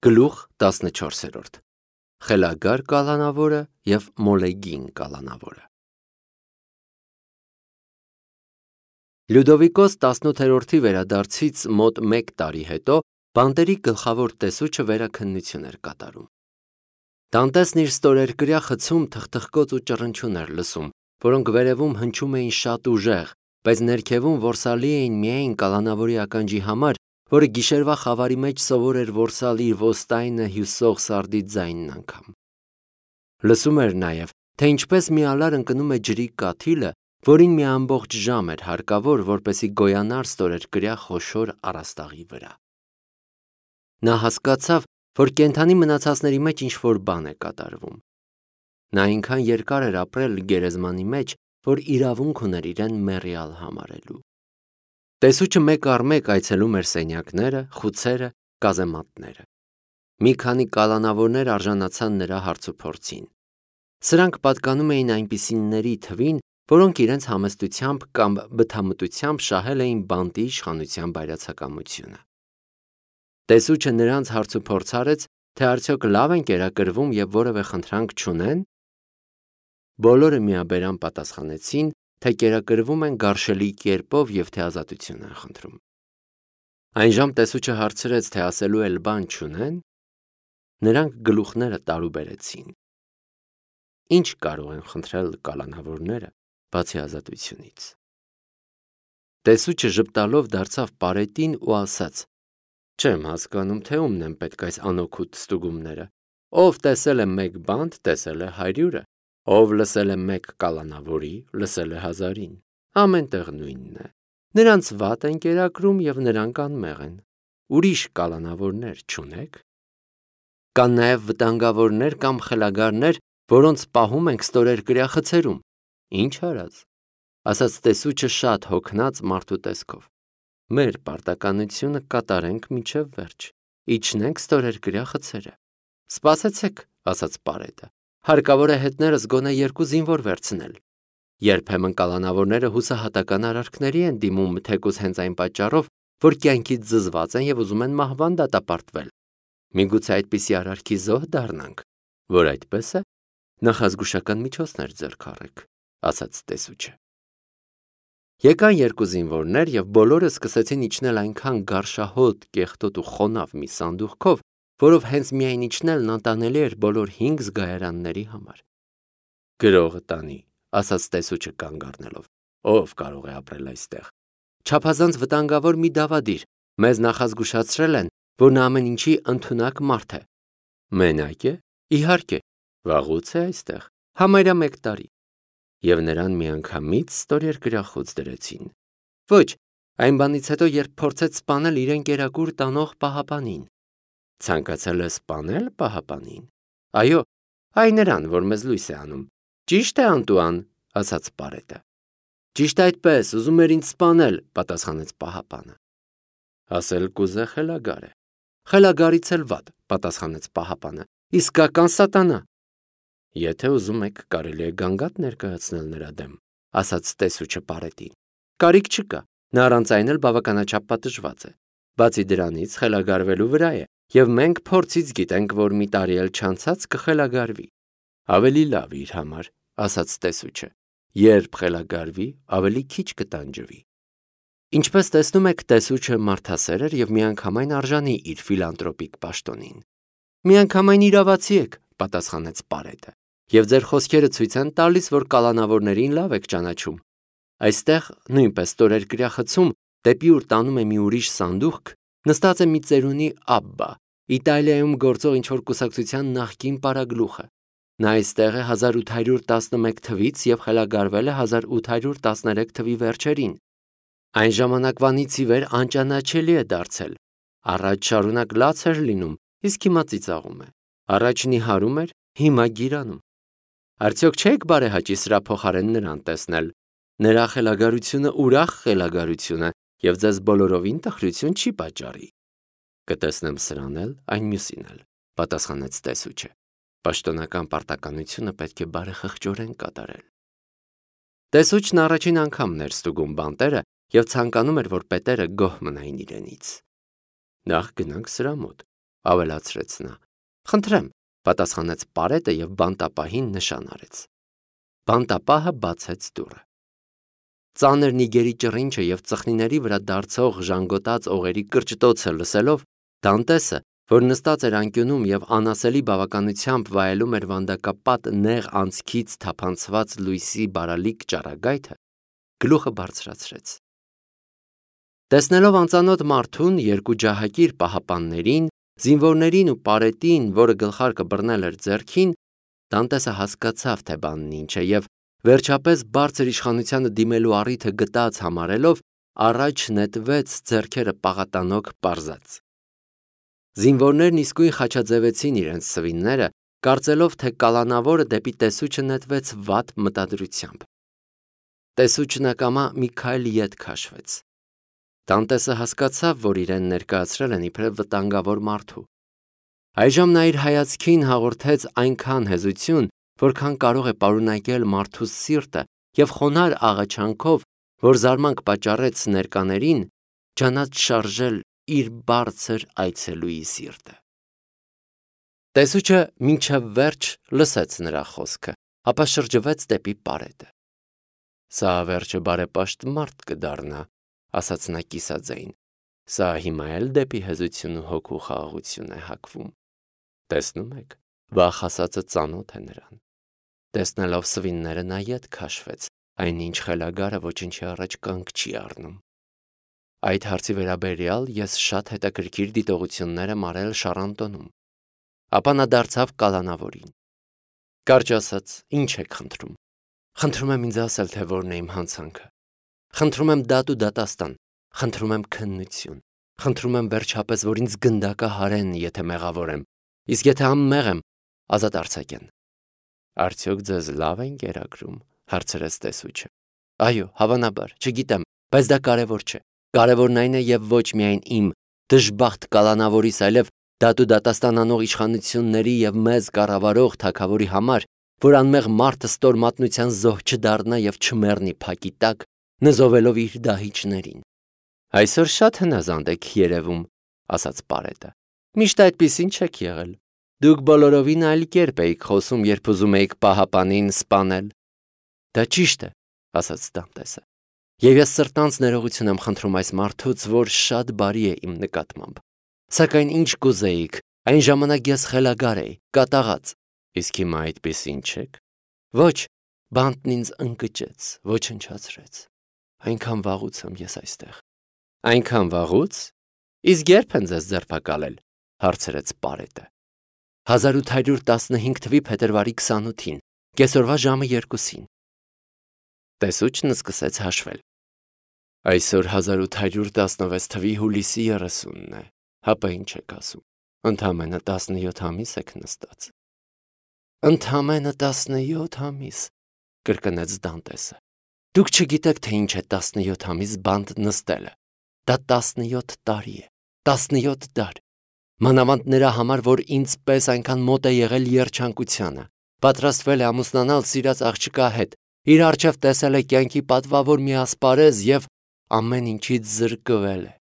Գլուխ 14 Խելագար կալանավորը և մոլեգին կալանավորը։ Լյուդովիկոս 18-րդի վերադարձից մոտ 1 տարի հետո բանտերի գլխավոր տեսուչը վերաքննություն էր կատարում։ Դանտեսն իր ստորերկրյա խցում թխթխկոց ու ճռնչյուն էր լսում, որոնք վերևում հնչում էին շատ ուժեղ, բայց ներքևում որսալի էին միայն կալանավորի ականջի համար, որը գիշերվա խավարի մեջ սովոր էր որսալ իր ոստայնը հյուսող սարդի ձայնն անգամ։ Լսում էր նաև, թե ինչպես մի ալար ընկնում է ջրի կաթիլը, որին մի ամբողջ ժամ էր հարկավոր, որպեսզի գոյանար ստորերկրյա խոշոր առաստաղի վրա։ Նա հասկացավ, որ կենդանի մնացածների մեջ ինչ-որ բան է կատարվում։ Նա այնքան երկար էր ապրել գերեզմանի մեջ, որ իրավունք ուներ իրեն մեռյալ համարելու։ Տեսուչը մեկ առ մեկ այցելում էր սենյակները, խուցերը, կազեմատները։ Մի քանի կալանավորներ արժանացան նրա հարցուփորձին։ Սրանք պատկանում էին այնպիսիների թվին, որոնք իրենց համեստությամբ կամ բթամտությամբ շահել էին բանտի իշխանության բայրացակամությունը։ Տեսուչը նրանց հարցուփորձ արեց, թե արդյոք լավ են կերակրվում և որևէ խնդրանք չունեն։ Բոլորը միաբերան պատասխանեցին, թե կերակրվում են գարշելի կերպով և թե ազատություն են խնդրում։ Այնժամ տեսուչը հարցրեց, թե ասելու էլ բան չունեն։ Նրանք գլուխները տարուբերեցին։ Ինչ կարող են խնդրել կալանավորները, բացի ազատությունից։ Տեսուչը ժպտալով դարձավ պարետին ու ասաց. «Չեմ հասկանում, թե ումն են պետք այս անօգուտ ստուգումները։ Ով տեսել է մեկ բանտ, տեսել է 100-ը, ով լսել է մեկ կալանավորի, լսել է 1000-ին։ Ամեն տեղ նույնն է։ Նրանց վատ են կերակրում և նրանք անմեղ են։ Ուրիշ կալանավորներ չունեք։ Կան նաև վտանգավորներ կամ խելագարներ, որոնց պահում ենք ստորերկրյա խցերում։ Ինչ արած, ասաց տեսուչը շատ հոգնած մարդու տեսքով։ Մեր պարտականությունը կատարենք մինչև վերջ, իջնենք ստորերկրյա խցերը։ Սպասեցեք, ասաց պարետը, հարկավոր է հետներս գոնե 2 զինվոր վերցնել։ Երբեմն կալանավորները հուսահատական արարքների են դիմում թեկուզ հենց այն պատճառով, որ կյանքից զզված են և ուզում են մահվան դատապարտվել։ Միգուցե այդպիսի արարքի զոհ դառնանք, որ այդպես է, նախազգուշական միջոցներ ձեռք առեք, ասաց տեսուչը։ Եկան 2 զինվորներ և բոլորը սկսեցին իջնել այնքան գարշահոտ, կեղտոտ ու խոնավ մի սանդուղքով, որով հենց միայն իջնելն անտանելի էր բոլոր 5 զգայարանների համար։ Գրողը տանի, ասաց տեսուչը կանգ առնելով, ով կարող է ապրել այստեղ։ Չափազանց վտանգավոր մի դավադիր, մեզ նախազգուշացրել են, որ նա ամեն ինչի ընդունակ մարդ է։ Մենակ է, իհարկե, վաղուց է այստեղ, համարյա 1 տարի։ Եվ նրան միանգամից ստորերկրյա խոց դրեցին։ Ոչ, այն բանից հետո, երբ փորձեց սպանել իրեն կերակուր տանող պահապանին։ Ցանկացել է սպանել պահապանին։ Այո, այ նրան, որ մեզ լույս է անում։ Ճիշտ է, Անտուան, ասաց պարետը։ Ճիշտ այդպես, ուզում էր ինձ սպանել, պատասխանեց պահապանը։ Ասել կուզե խելագար է։ Խելագարից էլ վատ, պատասխանեց պահապանը։ Իսկական սատանա։ Եթե ուզում եք, կարելի է գանգատ ներկայացնել նրա դեմ, ասաց տեսուչը պարետին։ Կարիք չկա, նա առանց այն էլ բավականաչափ պատժված է։ Բացի դրանից խելագարվելու վրա է, և մենք փորձից գիտենք, որ մի տարի էլ չանցած կխելագարվի։ Ավելի լավ իր համար, ասաց տեսուչը։ Երբ խելագարվի, ավելի քիչ կտանջվի։ Ինչպես տեսնում եք, տեսուչը մարդասեր էր և միանգամայն արժանի իր ֆիլանտրոպիկ պաշտոնին։ Միանգամայն իրավացի եք, պատասխանեց պարետը, և ձեր խոսքերը ցույց են տալիս, որ կալանավորներին լավ եք ճանաչում։ Այստեղ, նույնպես ստորերկրյա խցում, դեպի ուր տանում է մի ուրիշ սանդուղք, նստած է մի ծերունի Աբբա, Իտալիայում գործող ինչ-որ կուսակցության նախկին պարագլուխը։ Նա այստեղ է 1811 թվից և խելագարվել է 1813 թվի վերջերին։ Այն ժամանակվանից ի վեր անճանաչելի է դարձել։ Առաջ շարունակ լաց էր լինում, իսկ հիմա ծիծաղում է։ Առաջ նիհարում էր, հիմա գիրանում։ Արդյոք չեք բարեհաճի սրա փոխարեն նրան տեսնել։ Նրա խելագարությունը ուրախ խելագարություն է և ձեզ բոլորովին տխրություն չի պատճառի։ Կտեսնեմ սրան էլ, այն մյուսին էլ, պատասխանեց տեսուչը։ Պաշտոնական պարտականությունը պետք է բարեխղճորեն կատարել։ Տեսուչն առաջին անգամն էր ստուգում բանտերը և ցանկանում էր, որ պետերը գոհ մնային իրենից։ Նախ գնանք սրա մոտ, ավելացրեց նա։ Խնդրեմ, պատասխանեց Պարետը և բանտապահին նշան արեց։ Բանտապահը բացեց դուռը։ Ծանր նիգերի ճռինչը և ծխնիների վրա դարձող ժանգոտած օղերի կրճտոցը լսելով, Դանտեսը, որ նստած էր անկյունում և անասելի բավականությամբ վայելում էր վանդակապատ նեղ անցքից թափանցված լույսի բարալիկ ճառագայթը, գլուխը բարձրացրեց։ Տեսնելով անծանոթ մարդուն, երկու ջահակիր պահապաններին, զինվորներին ու Պարետին, որը գլխարկը բռնել էր ձեռքին, Դանտեսը հասկացավ, թե բանն ինչ է, և վերջապես բարձր իշխանությանը դիմելու առիթը գտած համարելով, առաջ նետվեց ձեռքերը պաղատանոք պարզած։ Զինվորներն իսկույն խաչաձևեցին իրենց սվինները, կարծելով, թե կալանավորը դեպի տեսուչը նետվեց վատ մտադրությամբ։ Տեսուչն ակամա մի քայլ ետ քաշվեց։ Դանտեսը հասկացավ, որ իրեն ներկայացրել են իբրև վտանգավոր մարդու։ Այժմ նա իր հայացքին հաղորդեց այնքան հեզություն, որքան կարող է պարունակել մարդու սիրտը, և խոնարհ աղաչանքով, որ զարմանք պատճառեց ներկաներին, ջանաց շարժել իր բարձր այցելուի սիրտը։ Տեսուչը մինչև վերջ լսեց նրա խոսքը, ապա շրջվեց դեպի Պարետը։ Սա վերջը բարեպաշտ մարդ կդառնա, ասաց նա կիսաձայն։ Սա հիմա էլ դեպի հեզություն ու հոգու խաղաղություն է հակվում։ Տեսնում եք, վախ ասածը ծանոթ է նրան։ Տեսնելով սվինները նա ետ քաշվեց, այնինչ խելագարը ոչնչի առաջ կանգ չի առնում։ Այդ հարցի վերաբերյալ ես շատ հետաքրքիր դիտողություններ եմ արել Շառանտոնում։ Ապա նա դարձավ կալանավորին։ Կարճ ասած, ինչ եք խնդրում։ Խնդրում եմ ինձ ասել, թե որն է իմ հանցանքը։ Խնդրում եմ դատ ու դատաստան, խնդրում եմ քննություն, խնդրում եմ վերջապես, որ ինձ գնդակահարեն, եթե մեղավոր եմ, իսկ եթե անմեղ եմ, ազատ արձակեն։ Արդյոք ձեզ լավ են կերակրում, հարցրեց տեսուչը։ Այո, հավանաբար, չգիտեմ, բայց դա կարևոր չէ։ Կարևորն այն է և ոչ միայն իմ դժբախտ կալանավորիս, այլև դատու դատաստան անող իշխանությունների և մեզ կառավարող թագավորի համար, որ անմեղ մարդը ստոր մատնության զոհ չդառնա և չմեռնի փակի տակ, նզովելով իր դահիճներին։ Այսօր շատ հնազանդ եք երևում, ասաց Պարետը։ Միշտ այդպիսին չեք եղել։ Դուք բոլորովին այլ կերպ էիք խոսում, երբ ուզում էիք պահապանին սպանել։ Դա ճիշտ է, ասաց Դանտեսը։ Եվ ես սրտանց ներողություն եմ խնդրում այս մարդուց, որ շատ բարի է իմ նկատմամբ։ Սակայն ինչ կուզեիք, այն ժամանակ ես խելագար էի, կատաղած։ Իսկ հիմա այդպիսին չեք։ Ոչ, բանտն ինձ ընկճեց, ոչնչացրեց։ Այնքան վաղուց եմ ես այստեղ։ Այնքան վաղուց։ Իսկ երբ են ձեզ ձերբակալել, հարցրեց Պարետը։ 1815 թվականի փետրվարի 28-ին, կեսօրվա ժամը 2-ին։ Տեսուչն սկսեց հաշվել։ Այսօր 1816 թվականի հուլիսի 30-ն է, հապա ինչ եք ասում, ընդամենը 17 ամիս եք նստած։ Ընդամենը 17 ամիս, կրկնեց Դանտեսը։ Դուք չգիտեք, թե ինչ է 17 ամիս բանտ նստելը։ Դա 17 տարի է, 17 դար։ Մանավանդ նրա համար, որ ինձ պես այնքան մոտ է եղել երջանկությանը, պատրաստվել է ամուսնանալ սիրած աղջկա հետ, իր առջև տեսել է կյանքի պատվավոր մի ասպարեզ և ամեն ինչից զրկվել է։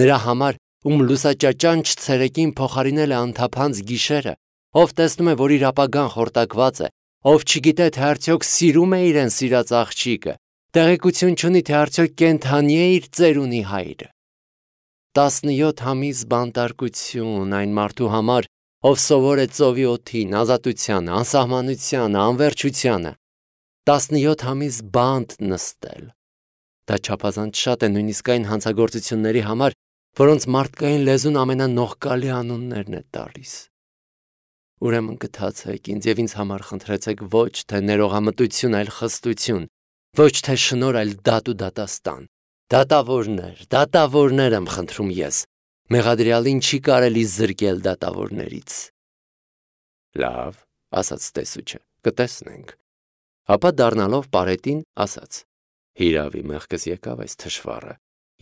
Նրա համար, ում լուսաճաճանչ ցերեկին փոխարինել է անթափանց գիշերը, ով տեսնում է, որ իր ապագան խորտակված է, ով չգիտե, թե արդյոք սիրում է իրեն սիրած աղջիկը, տեղեկություն չունի, թե արդյոք կենդանի է իր ծերունի հայրը։ 17 ամիս բանտարկություն այն մարդու համար, ով սովոր է ծովի օդին, ազատությանը, անսահմանությանը, անվերջությանը։ 17 ամիս բանտ նստել։ Դա չափազանց շատ է նույնիսկ այն հանցագործությունների համար, որոնց մարդկային լեզուն ամենանողկալի անուններն է տալիս։ Ուրեմն գթացեք ինձ և ինձ համար խնդրեցեք ոչ թե ներողամտություն, այլ խստություն, ոչ թե շնորհ, այլ դատ ու դատաստան։ Դատավորներ եմ խնդրում ես։ Մեղադրյալին չի կարելի զրկել դատավորներից։ Լավ, ասաց տեսուչը, կտեսնենք։ Ապա դառնալով Պարետին, ասաց. Հիրավի մեղքս եկավ այս թշվառը։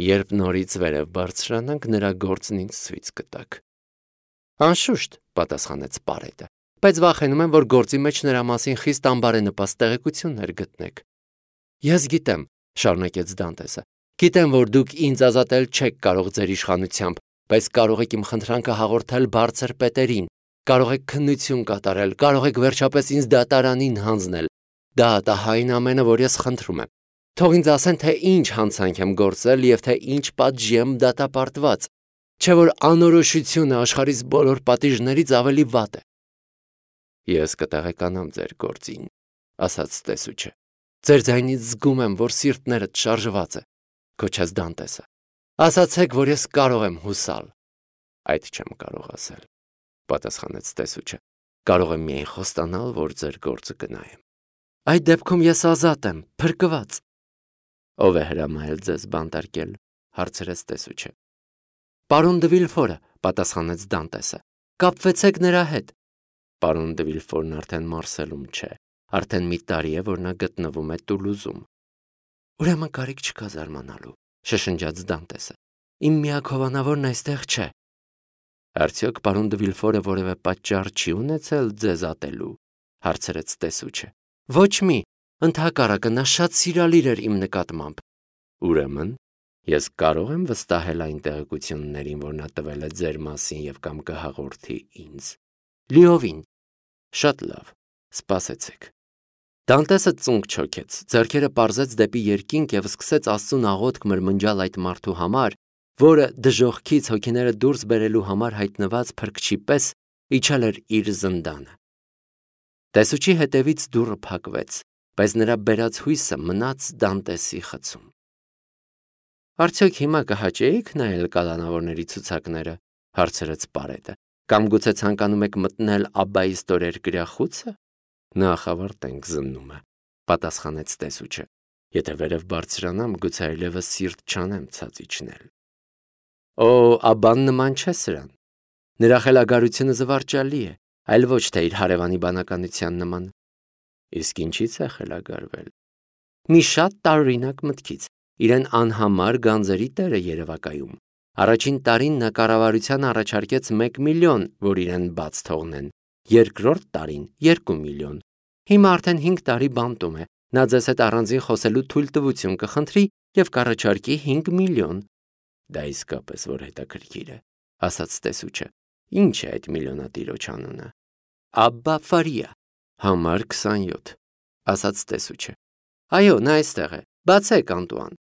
Երբ նորից վերև բարձրանանք, նրա գործն ինձ ցույց կտաք։ Անշուշտ, պատասխանեց Պարետը, բայց վախենում եմ, որ գործի մեջ նրա մասին խիստ անբարենպաստ տեղեկություններ գտնեք։ Ես գիտեմ, շարունակեց Դանտեսը, գիտեմ, որ դուք ինձ ազատել չեք կարող ձեր իշխանությամբ, բայց կարող եք իմ խնդրանքը հաղորդել բարձր պետերին, կարող եք քննություն կատարել, կարող եք վերջապես ինձ դատարանին հանձնել։ Դա ատահային ամենը, որ ես խնդրում եմ։ Թող ինձ ասեն, թե ինչ հանցանք եմ գործել և թե ինչ պատժի եմ դատապարտված, չէ որ անորոշությունը աշխարհիս բոլոր պատիժներից ավելի վատ է։ Ես կտեղեկանամ ձեր գործին, ասաց տեսուչը։ Ձեր ձայնից զգում եմ, որ սիրտներդ շարժված է, գոչեց Դանտեսը։ Ասացեք, որ ես կարող եմ հուսալ։ Այդ չեմ կարող ասել, պատասխանեց տեսուչը։ Կարող եմ միայն խոստանալ, որ ձեր գործը կնայեմ։ Այդ դեպքում ես ազատ եմ, փրկված։ Ով է հրամայել ձեզ բանտարկել, հարցրեց տեսուչը։ Պարոն դե Վիլֆորը, պատասխանեց Դանտեսը։ Կապվեցեք նրա հետ։ Պարոն դե Վիլֆորն արդեն Մարսելում չէ, արդեն մի տարի է, որ նա գտնվում է Տուլուզում։ Ուրեմն կարիք չկա զարմանալու, շշնջաց Դանտեսը։ Իմ միակ հովանավորն այստեղ չէ։ Արդյոք պարոն դե Վիլֆորը որևէ պատճառ չի ունեցել ձեզ ատելու, հարցրեց տեսուչը։ Ոչ մի, ընդհակառակը նա շատ սիրալիր էր իմ նկատմամբ։ Ուրեմն ես կարող եմ վստահել այն տեղեկություններին, որ նա տվել է ձեր մասին և կամ կհաղորդի ինձ։ Լիովին։ Շատ լավ, սպասեցեք։ Դանտեսը ծունկ չոքեց, ձեռքերը պարզեց դեպի երկինք և սկսեց Աստծուն աղոթք մրմնջալ այդ մարդու համար, որը դժոխքից հոգիները դուրս բերելու համար հայտնված փրկչի պես իջել էր իր զնդանը։ Տեսուչի հետևից դուռը փակվեց, բայց նրա բերած հույսը մնաց Դանտեսի խցում։ Արդյոք հիմա կհաճեիք նայել կալանավորների ցուցակները, հարցրեց Պարետը, կամ գուցե ցանկանում եք մտնել Աբբայի ստորերկրյա խուցը։ Նախ ավարտենք զննումը, պատասխանեց տեսուչը։ Եթե վերև բարձրանամ, գուցե այլևս սիրտ չանեմ ցած իջնել։ Օ, Աբբան նման չէ սրան։ Նրա խելագարությունը զվարճալի է, այլ ոչ թե իր հարևանի բանականության նման։ Իսկ ինչից է խելագարվել։ Մի շատ տարօրինակ մտքից։ Իրեն անհամար գանձերի տեր է երևակայում։ Առաջին տարին նա կառավարության առաջարկեց 1 միլիոն, որ իրեն բաց թողնեն, երկրորդ տարին 2 միլիոն։ Հիմա արդեն 5 տարի բանտում է, նա ձեզ հետ առանձին խոսելու թույլտվություն կխնդրի և կառաջարկի 5 միլիոն։ Դա իսկապես որ հետաքրքիր է, ասաց տեսուչը։ Ինչ է այդ միլիոնատիրոջ անունը։ Աբբա Ֆարիա, համար 27, ասաց տեսուչը։ Այո, նա այստեղ է, բացեք Անտուան։